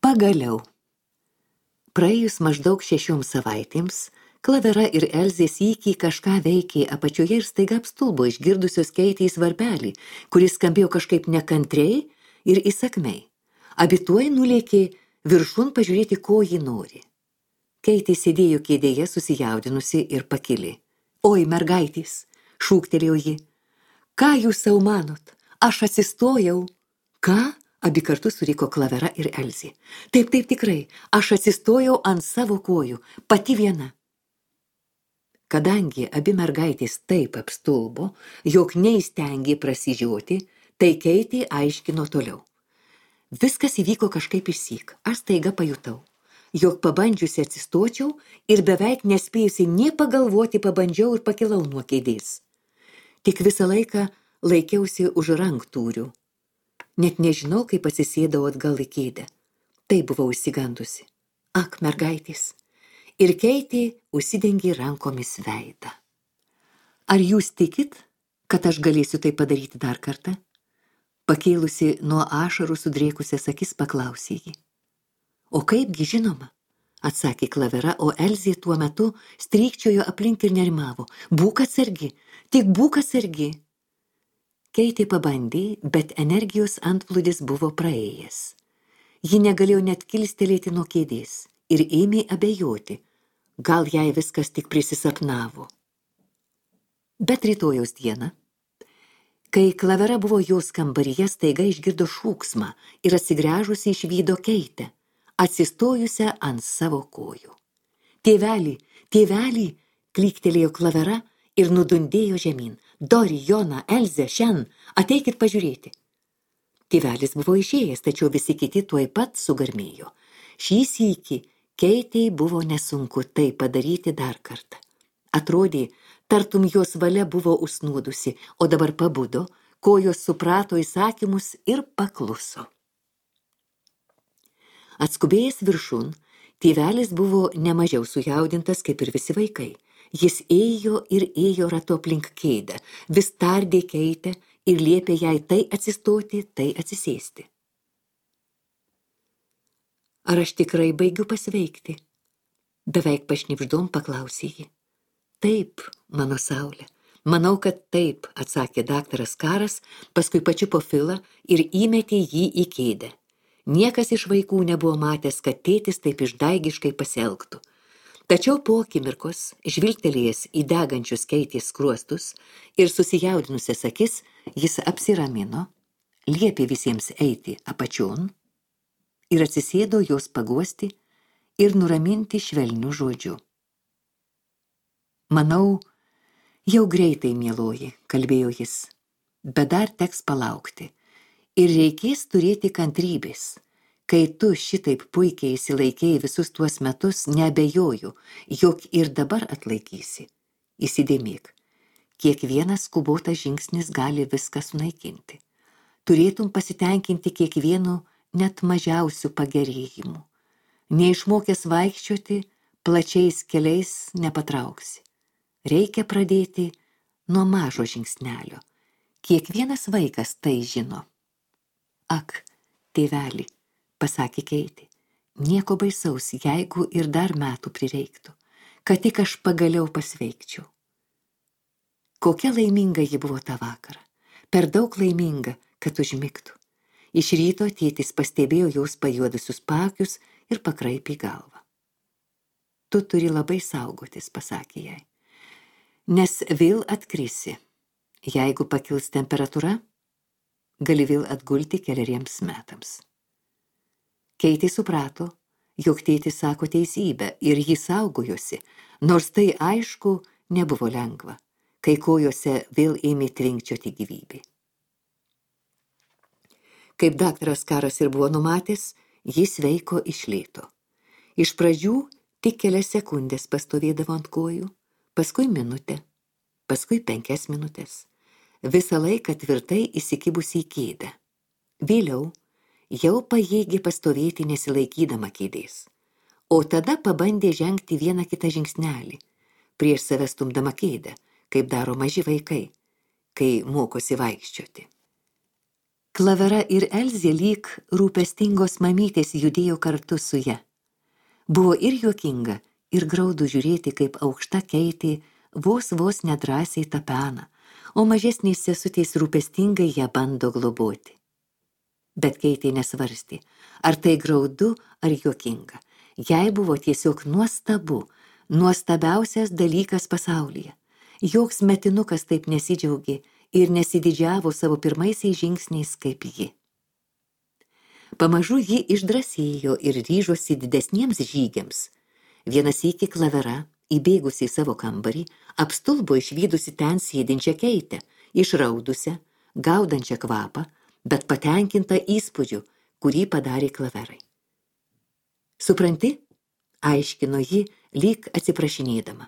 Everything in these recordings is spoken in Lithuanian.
Pagaliau. Praėjus maždaug 6 savaitėms, Klavera ir Elzė sykį kažką veikė apačioje ir staiga apstulbo išgirdusios Keitės varpelį, kuris skambėjo kažkaip nekantriai ir įsakmiai. Abi tuoj nulėkė viršun pažiūrėti, ko ji nori. Keitė sėdėjo kėdėje susijaudinusi ir pakili. Oi, mergaitės, šūktelėjo ji. Ką jūs sau manot? Aš atsistojau. Ką? Abi kartu suriko Klavera ir Elzė. Taip, tikrai, aš atsistojau ant savo kojų, pati viena. Kadangi abi mergaitės taip apstulbo, jog neįstengė prasižioti, tai Keitė aiškino toliau. Viskas įvyko kažkaip išsyk, aš staiga pajutau, jog pabandžiusi atsistočiau ir beveik nespėjusi nė pagalvoti pabandžiau ir pakilau nuo kėdės. Tik visą laiką laikiausi už ranktūrių. Net nežinau, kaip atsisėdau atgal į kėdę. Tai buvau išsigandusi. Ak, mergaitės. Ir Keitė užsidengė rankomis veidą. Ar jūs tikit, kad aš galėsiu tai padaryti dar kartą? Pakėlusi nuo ašarų sudrėkusias akis paklausė ji. O kaipgi žinoma, atsakė Klavera, o Elzė tuo metu strykčiojo aplink ir nerimavo. Būk atsargi, tik būk atsargi. Keitė pabandė, bet energijos antplūdis buvo praėjęs. Ji negalėjo net kilstelėti nuo kėdės ir ėmė abejoti, gal jai viskas tik prisisapnavo. Bet rytojaus dieną, kai Klavera buvo jos kambaryje, staiga išgirdo šūksmą ir atsigręžusi išvydo Keitę, atsistojusią ant savo kojų. Tėvelį, klyktelėjo Klavera ir nudundėjo žemyn. Dori, Jona, Elzė, šiandien, ateikit pažiūrėti. Tėvelis buvo išėjęs, tačiau visi kiti tuoj pat sugarmėjo. Šį sykį Keitei buvo nesunku tai padaryti dar kartą. Atrodė, tartum jos valia buvo užsnūdusi, o dabar pabudo, kojos suprato įsakymus ir pakluso. Atskubėjęs viršun, tėvelis buvo nemažiau sujaudintas kaip ir visi vaikai. Jis ėjo ir ėjo ratu aplink kėdę, vis tardė Keitę ir liepė jai tai atsistoti, tai atsisėsti. Ar aš tikrai baigiu pasveikti? Beveik pašnibždom paklausė ji. Taip, mano saulė. Manau, kad taip, atsakė daktaras Karas, paskui pačiupo Filą ir įmetė jį į kėdę. Niekas iš vaikų nebuvo matęs, kad tėtis taip išdaigiškai pasielgtų. Tačiau po akimirkos, žvilgtelėjęs į degančius Keitės skruostus ir susijaudinusias akis, jis apsiramino, liepė visiems eiti apačion ir atsisėdo jos paguosti ir nuraminti švelniu žodžiu. Manau, jau greitai, mieloji, kalbėjo jis, bet dar teks palaukti ir reikės turėti kantrybės. Kai tu šitaip puikiai įsilaikėjai visus tuos metus, neabejoju, jog ir dabar atlaikysi. Įsidėmėk, kiekvienas skubotas žingsnis gali viską sunaikinti. Turėtum pasitenkinti kiekvienu net mažiausių pagerėjimų. Neišmokęs vaikščioti, plačiais keliais nepatrauksi. Reikia pradėti nuo mažo žingsnelio. Kiekvienas vaikas tai žino. Ak, tėveli, pasakė Keitė, nieko baisaus, jeigu ir dar metų prireiktų, kad tik aš pagaliau pasveikčiau. Kokia laiminga ji buvo tą vakarą, per daug laiminga, kad užmigtų. Iš ryto tėtis pastebėjo jos pajuodusius paakius ir pakraipė galvą. Tu turi labai saugotis, pasakė jai, nes vėl atkrisi. Jeigu pakils temperatūra, gali vėl atgulti keleriems metams. Keitė suprato, jog tėtis sako teisybę ir jį saugojosi, nors tai aišku nebuvo lengva, kai kojose vėl ėmė tvinkčioti gyvybė. Kaip daktaras Karas ir buvo numatęs, jis sveiko iš lėto. Iš pradžių tik kelias sekundės pastovėdavo ant kojų, paskui minutę, paskui 5 minutės. Visą laiką tvirtai įsikibusi į kėdę. Vėliau jau pajėgė pastovėti nesilaikydama kėdės, o tada pabandė žengti vieną kitą žingsnelį, prieš save stumdama kėdę, kaip daro maži vaikai, kai mokosi vaikščioti. Klavera ir Elzė lyg rūpestingos mamytės judėjo kartu su ja. Buvo ir juokinga, ir graudu žiūrėti, kaip aukšta Keitė vos nedrąsiai tapena, o mažesnės sesutės rūpestingai ją bando globoti. Bet Keitė nesvarstė, ar tai graudu, ar juokinga. Jai buvo tiesiog nuostabu, nuostabiausias dalykas pasaulyje. Joks metinukas taip nesidžiaugė ir nesididžiavo savo pirmaisiais žingsniais kaip ji. Pamažu ji išdrąsėjo ir ryžosi didesniems žygiams. Vienas sykį Klavera, įbėgusi į savo kambarį, apstulbo išvydusi ten sėdinčią Keitę, išraudusią, gaudančią kvapą, bet patenkinta įspūdžiu, kurį padarė Klaverai. Supranti, aiškino ji, lyg atsiprašinėdama,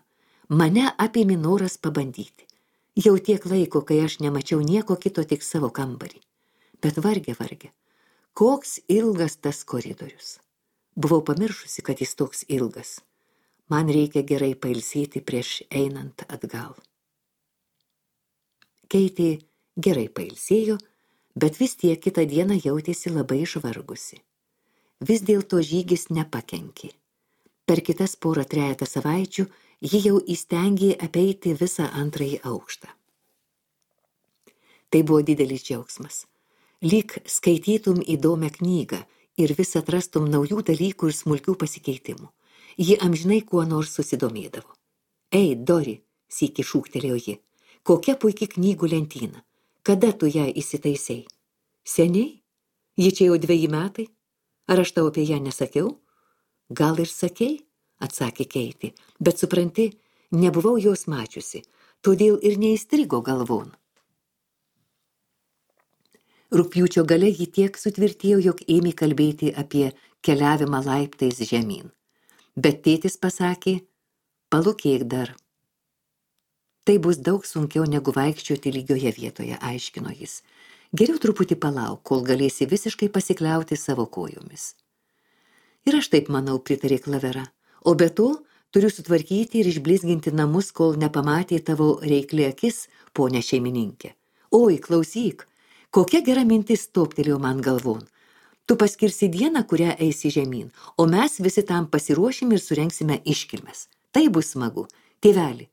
mane apėmė noras pabandyti. Jau tiek laiko, kai aš nemačiau nieko kito, tik savo kambarį. Bet varge. Koks ilgas tas koridorius. Buvau pamiršusi, kad jis toks ilgas. Man reikia gerai pailsėti prieš einant atgal. Keitė gerai pailsėjo, bet vis tiek kitą dieną jautėsi labai išvargusi. Vis dėlto žygis nepakenkė. Per kitas trejetą savaičių ji jau įstengė apeiti visą antrąjį aukštą. Tai buvo didelis džiaugsmas. Lyg skaitytum įdomią knygą ir vis atrastum naujų dalykų ir smulkių pasikeitimų. Ji amžinai kuo nors susidomėdavo. Ei, Dori, sykį šūktelėjo ji, kokia puiki knygų lentyna. Kada tu ją įsitaisei? Seniai? Ji čia jau 2 metai? Ar aš tau apie ją nesakiau? Gal ir sakei, atsakė Keitė, bet supranti, nebuvau jos mačiusi, todėl ir neįstrigo galvon. Rugpjūčio gale ji tiek sutvirtėjo, jog ėmė kalbėti apie keliavimą laiptais žemyn. Bet tėtis pasakė, palūkėk dar. Tai bus daug sunkiau negu vaikščioti lygioje vietoje, aiškino jis. Geriau truputį palauk, kol galėsi visiškai pasikliauti savo kojomis. Ir aš taip manau, pritarė Klavera. O be to, turiu sutvarkyti ir išblizginti namus, kol nepamatė tavo reikli akis, ponia šeimininkė. Oi, klausyk, kokia gera mintis toptelėjo man galvon. Tu paskirsi dieną, kurią eisi žemyn, o mes visi tam pasiruošim ir surengsime iškilmes. Tai bus smagu. Tėveli,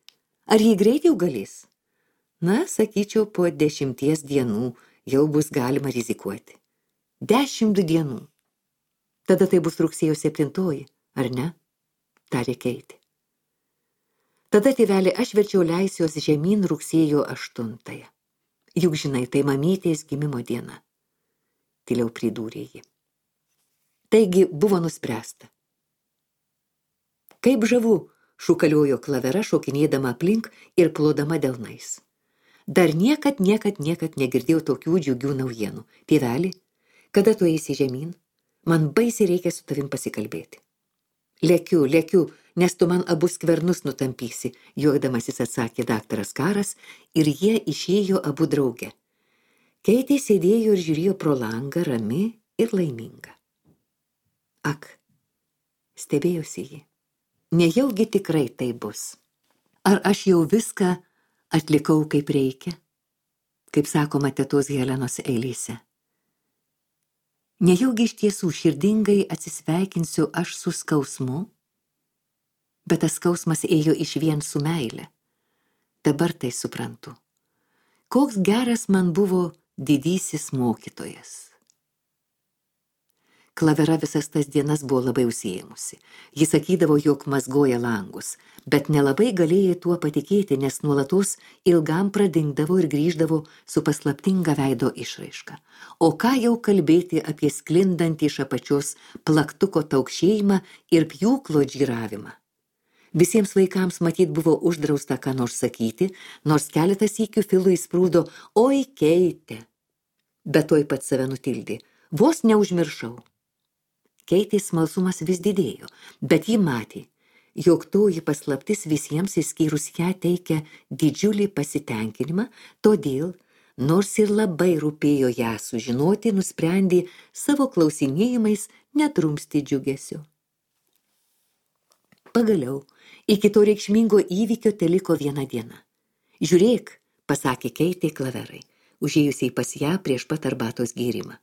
ar jį greit jau galės? Na, sakyčiau, po 10 dienų jau bus galima rizikuoti. 10 dienų. Tada tai bus rugsėjo 7, ar ne? Tarė Keitė. Tada, tėveli, aš verčiau leisiuos žemyn rugsėjo 8. Juk žinai, tai mamytės gimimo diena. Tyliau pridūrė ji. Taigi buvo nuspręsta. Kaip žavu, šūkaliojo Klavera, šokinėdama aplink ir plodama delnais. Dar niekad negirdėjau tokių džiugių naujienų. Tėveli, kada tu eisi žemyn? Man baisiai reikia su tavim pasikalbėti. Lekiu, nes tu man abu skvernus nutampysi, juokdamasis atsakė daktaras Karas, ir jie išėjo abu drauge. Keitė sėdėjo ir žiūrėjo pro langą, rami ir laiminga. Ak, stebėjosi ji. Nejaugi tikrai tai bus. Ar aš jau viską atlikau kaip reikia, kaip sakoma tetos Helenos eilėse? Nejaugi iš tiesų širdingai atsisveikinsiu aš su skausmu? Bet tas skausmas ėjo išvien su meile. Dabar tai suprantu. Koks geras man buvo didysis mokytojas. Klavera visas tas dienas buvo labai užsiėmusi. Ji sakydavo, jog mazgoja langus, bet nelabai galėjo tuo patikėti, nes nuolatos ilgam pradingdavo ir grįždavo su paslaptinga veido išraiška. O ką jau kalbėti apie sklindantį iš apačios plaktuko taukšėjimą ir pjūklo džiravimą. Visiems vaikams matyt buvo uždrausta ką nors sakyti, nors keletą sykių Filui įsprūdo, oi Keitė. Bet tuoj pat save nutildė, vos neužmiršau. Keitės smalsumas vis didėjo, bet ji matė, jog toji paslaptis visiems išskyrus ją teikia didžiulį pasitenkinimą, todėl, nors ir labai rūpėjo ją sužinoti, nusprendė savo klausinėjimais netrumsti džiugesio. Pagaliau, iki to reikšmingo įvykio teliko 1 diena. Žiūrėk, pasakė Keitė Klaverai, užėjusiai pas ją prieš pat arbatos gėrimą.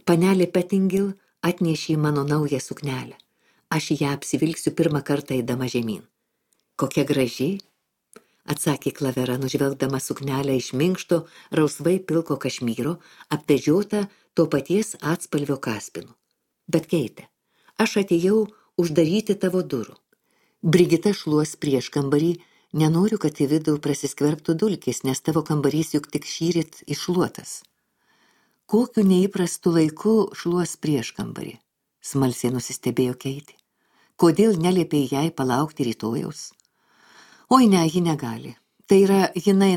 Panelė Pettingil atnešė mano naują suknelę. Aš ją apsivilksiu pirmą kartą eidama žemyn. Kokia graži, atsakė Klavera, nužvelgdama suknelę iš minkšto, rausvai pilko kašmyro, apvežiota to paties atspalvio kaspinu. Bet Keite, aš atėjau uždaryti tavo durų. Brigita šluos prieš kambarį, nenoriu, kad į vidų prasiskverbtų dulkės, nes tavo kambarys juk tik šįryt iššluotas. Kokiu neįprastu laiku šluos prieš kambarį? Smalsiai nusistebėjo Keitė. Kodėl neliepė jai palaukti rytojaus? Oi ne, ji negali. Tai yra, jinai,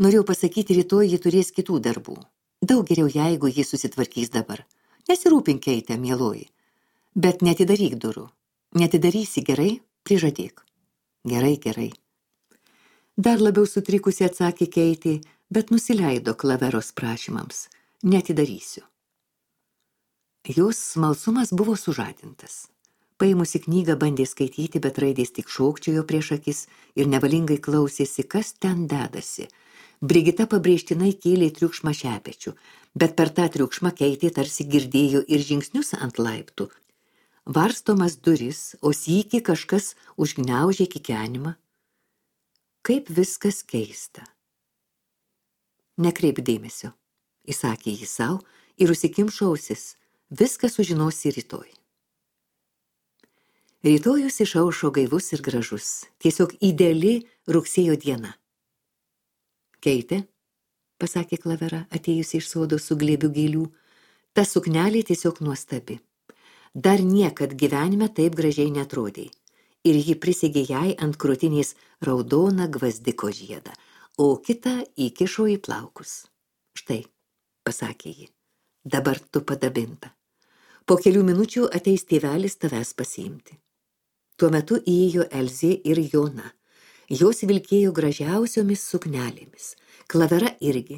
norėjau pasakyti, rytoj ji turės kitų darbų. Daug geriau, jeigu ji susitvarkys dabar. Nesirūpink, Keitė, mieloji. Bet netidaryk durų. Netidarysi, gerai? Prižadėk. Gerai. Dar labiau sutrikusi atsakė Keitė, bet nusileido Klaveros prašymams. Netidarysiu. Jos smalsumas buvo sužadintas. Paimusi knygą bandė skaityti, bet raidės tik šokčiojo prieš akis ir nevalingai klausėsi, kas ten dedasi. Brigita pabrėžtinai kėlė triukšmą šepečių, bet per tą triukšmą Keitė tarsi girdėjo ir žingsnius ant laiptų. Varstomas duris, o sykį kažkas užgniaužė kikenimą. Kaip viskas keista. Nekreip dėmesio, įsakė jį sau ir užsikimšo ausis. Viską sužinosi rytoj. Rytojus išaušo gaivus ir gražus, tiesiog ideali rugsėjo diena. Keitė, pasakė Klavera, atėjusi iš sodo su glėbiu gėlių, ta suknelė tiesiog nuostabi. Dar niekad gyvenime taip gražiai netrodė. Ir ji prisegė jai ant krūtinės raudoną gvazdiko žiedą, o kitą įkišo į plaukus. Štai, pasakė ji, dabar tu padabinta. Po kelių minučių ateis tėvelis tavęs pasiimti. Tuo metu įėjo Elzė ir Jona. Jos vilkėjo gražiausiomis suknelėmis. Klavera irgi.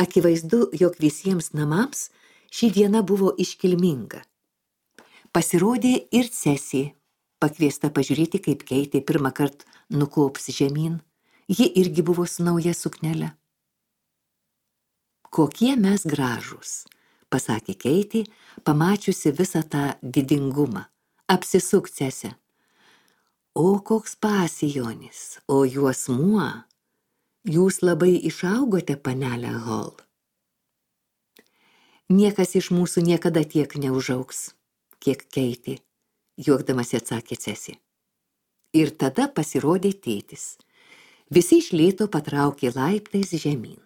Akivaizdu, jog visiems namams ši diena buvo iškilminga. Pasirodė ir Cesė, pakviesta pažiūrėti, kaip Keitė pirmą kartą nukops žemyn. Ji irgi buvo su nauja suknele. Kokie mes gražūs, pasakė Keitė, pamačiusi visą tą didingumą. Apsisuk, Cesė. O koks pasijonis, o juosmuo. Jūs labai išaugote, panelė Hall. Niekas iš mūsų niekada tiek neužaugs, kiek Keitė, juokdamas atsakė Cesė. Ir tada pasirodė tėtis. Visi iš lėto patraukė laiptais žemyn.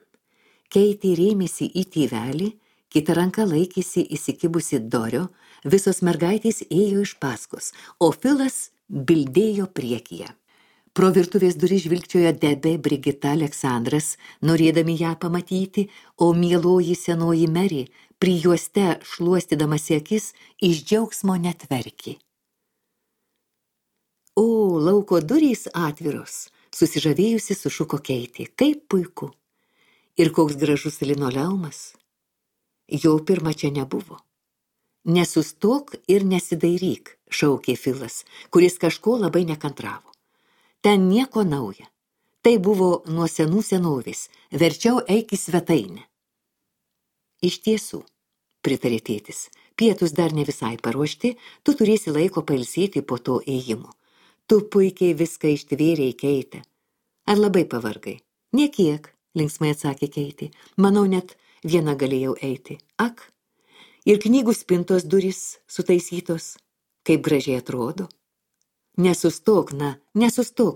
Keitė rėmėsi į tėvelį, kita ranka laikėsi įsikibusi Dorio, visos mergaitės ėjo iš paskos, o Filas bildėjo priekyje. Pro virtuvės duris žvilgčiojo Debė, Brigita, Aleksandras, norėdami ją pamatyti, o mieloji senoji Mary, prijuoste šluostydamasi akis, iš džiaugsmo net verkė. O, lauko durys atviros, susižavėjusi sušuko Keitė, kaip puiku. Ir koks gražus linoleumas. Jo pirma čia nebuvo. Nesustok ir nesidairyk, šaukė Filas, kuris kažko labai nekantravo. Ten nieko nauja. Tai buvo nuo senų senovės, verčiau eik į svetainę. Iš tiesų, pritarė tėtis, pietus dar ne visai paruošti, tu turėsi laiko pailsėti po to ėjimo. Tu puikiai viską ištvėrei, Keitė. Ar labai pavargai? Niekiek, linksmai atsakė Keitė. Manau, net viena galėjau eiti. Ak, ir knygų spintos durys sutaisytos. Kaip gražiai atrodo. Nesustok,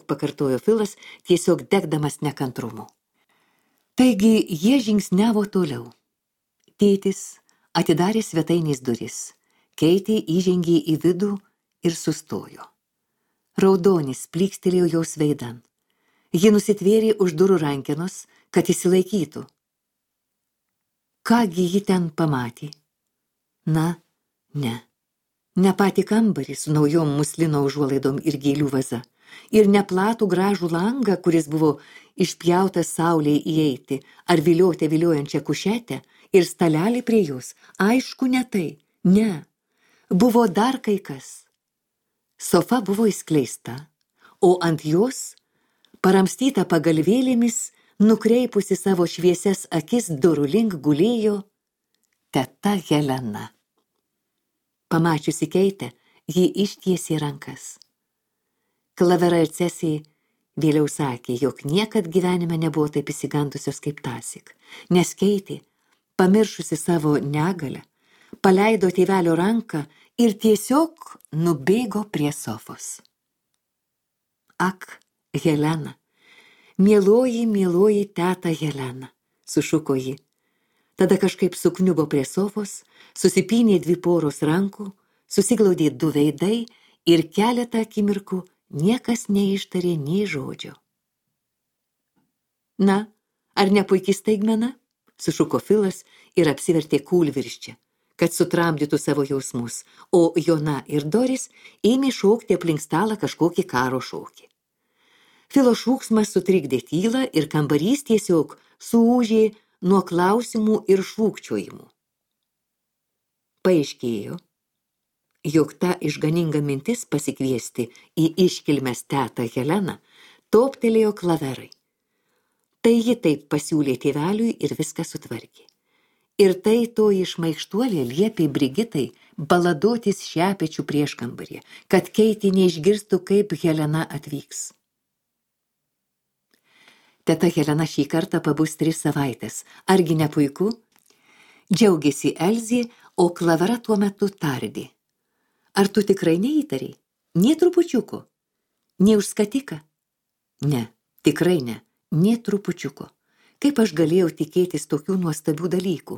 pakartojo Filas, tiesiog degdamas nekantrumu. Taigi jie žingsniavo toliau. Tėtis atidarė svetainės duris. Keitė įžengė į vidų ir sustojo. Raudonis plykstelėjo jos veidan. Ji nusitvėrė už durų rankenos, kad įsilaikytų. Kągi ji ten pamatė? Na, ne. Ne patį kambarį su naujom muslino užuolaidom ir gėlių vaza. Ir neplatų gražų langą, kuris buvo išpjautas saulei įeiti, ar viliotę viliojančią kušetę ir stalelį prie jos. Aišku, ne tai. Ne. Buvo dar kai kas. Sofa buvo įskleista, o ant jos, paramstyta pagalvėlėmis, Nukreipusi savo šviesias akis durų link gulėjo teta Helena. Pamačiusi Keitę, ji ištiesė rankas. Klavera ir Cesija vėliau sakė, jog niekad gyvenime nebuvo taip įsigandusios kaip tąsyk, nes Keitė, pamiršusi savo negalę, paleido tėvelio ranką ir tiesiog nubėgo prie sofos. Ak, Helena, mieloji teta Helena, sušuko ji. Tada kažkaip sukniubo prie sofos, susipynė 2 poros rankų, susiglaudė 2 veidai ir keletą akimirkų niekas neištarė nei žodžio. Na, ar ne puiki staigmena? Sušuko Filas ir apsivertė kūlvirsčią, kad sutramdytų savo jausmus, o Jona ir Doris ėmė šokti aplink stalą kažkokį karo šokį. Filo šūksmas sutrikdė tylą ir kambarys tiesiog suūžė nuo klausimų ir šūkčiojimų. Paaiškėjo, jog ta išganinga mintis pasikviesti į iškilmes tetą Heleną toptelėjo Klaverai. Tai ji taip pasiūlė tėveliui ir viską sutvarkė. Ir tai toji šmaikštuolė liepė Brigitai baladotis šepečių prieškambaryje, kad Keitė neišgirstų, kaip Helena atvyks. Teta Helena šį kartą pabus 3 savaitės. Argi ne puiku? Džiaugiasi Elzė, o Klavera tuo metu tardė. Ar tu tikrai neįtariai? Nė trupučiuko? Nė už skatiką? Ne, tikrai ne, nė trupučiuko. Kaip aš galėjau tikėtis tokių nuostabių dalykų?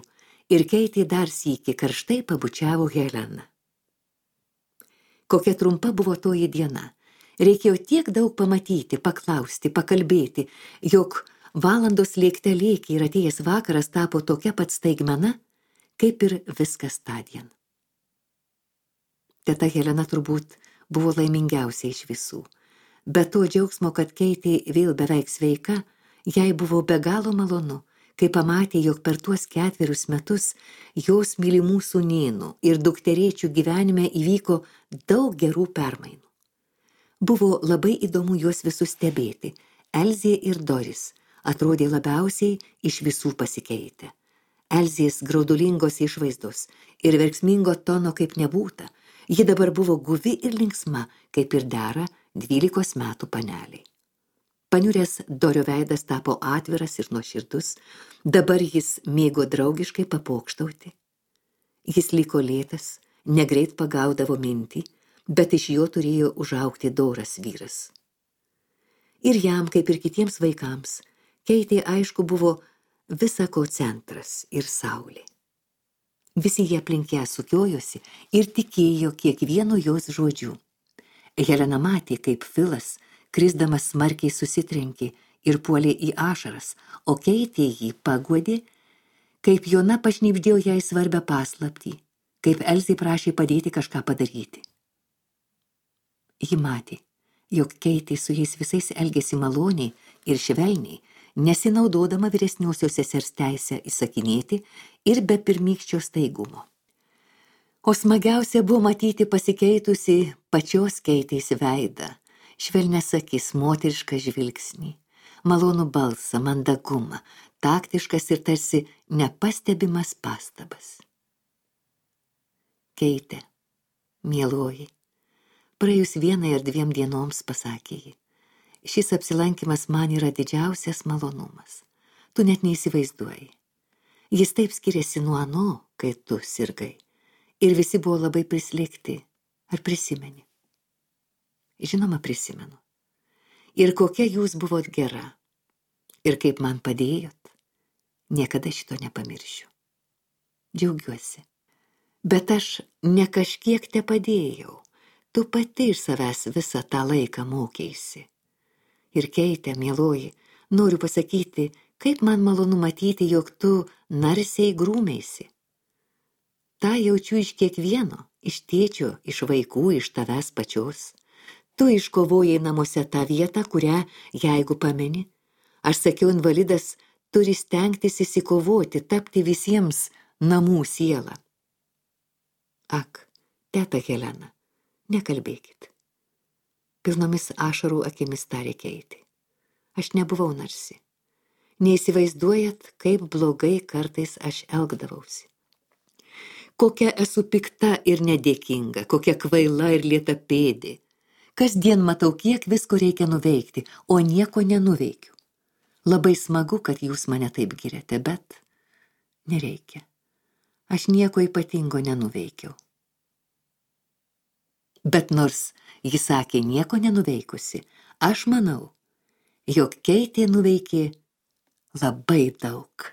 Ir Keitė dar sykį karštai pabučiavo Heleną. Kokia trumpa buvo toji diena. Reikėjo tiek daug pamatyti, paklausti, pakalbėti, jog valandos lėkte lėkė ir atėjęs vakaras tapo tokia pat staigmena, kaip ir viskas tądien. Teta Helena turbūt buvo laimingiausia iš visų. Be to džiaugsmo, kad Keitė vėl beveik sveika, jai buvo be galo malonu, kai pamatė, jog per tuos 4 metus jos mylimų sūnėnų ir dukterėčių gyvenime įvyko daug gerų permainų. Buvo labai įdomu juos visus stebėti. Elzė ir Doris atrodė labiausiai iš visų pasikeitę. Elzės graudulingos išvaizdos ir verksmingo tono kaip nebūta. Ji dabar buvo guvi ir linksma, kaip ir dera 12 metų paneliai. Paniuręs Dorio veidas tapo atviras ir nuoširdus, dabar jis mėgo draugiškai papokštauti. Jis liko lėtas, negreit pagaudavo mintį, bet iš jo turėjo užaugti doras vyras. Ir jam, kaip ir kitiems vaikams, Keitė aišku buvo visa ko centras ir saulė. Visi jie aplink ją sukiojosi ir tikėjo kiekvienu jos žodžiu. Helena matė, kaip Filas, krisdamas smarkiai susitrenkė ir puolė į ašaras, o Keitė jį paguodė, kaip Jona pašnibždėjo jai svarbią paslaptį, kaip Elzė prašė padėti kažką padaryti. Ji matė, jog Keitė su jais visais elgėsi maloniai ir švelniai, nesinaudodama vyresniosios sesers teisę įsakinėti ir be pirmykščio staigumo. O smagiausia buvo matyti pasikeitusi pačios Keitės veidą, švelnias akis, moterišką žvilgsnį, malonų balsą, mandagumą, taktiškas ir tarsi nepastebimas pastabas. Keitė, mieloji, praėjus 1 ar 2 dienoms, pasakė ji, šis apsilankymas man yra didžiausias malonumas. Tu net neįsivaizduoji. Jis taip skiriasi nuo ano, kai tu sirgai. Ir visi buvo labai prislėgti. Ar prisimeni? Žinoma, prisimenu. Ir kokia jūs buvot gera. Ir kaip man padėjot. Niekada šito nepamiršiu. Džiaugiuosi. Bet aš ne kažkiek te padėjau. Tu pati iš savęs visą tą laiką mokėisi. Ir Keitė, mieloji, noriu pasakyti, kaip man malonu matyti, jog tu narsiai grūmeisi. Ta jaučiu iš kiekvieno, iš tėčio, iš vaikų, iš tavęs pačios. Tu iškovojai namuose tą vietą, kurią, jeigu pameni, aš sakiau, invalidas turi stengtis įsikovoti, tapti visiems namų sielą. Ak, teta Helena, nekalbėkit. Pilnomis ašarų akimis tarė Keitė. Aš nebuvau narsi. Neįsivaizduojat, kaip blogai kartais aš elgdavausi. Kokia esu pikta ir nedėkinga, kokia kvaila ir lietapėdė. Kasdien matau, kiek visko reikia nuveikti, o nieko nenuveikiu. Labai smagu, kad jūs mane taip giriate, bet nereikia. Aš nieko ypatingo nenuveikiau. Bet nors ji sakė nieko nenuveikusi, aš manau, jog Keitė nuveikė labai daug.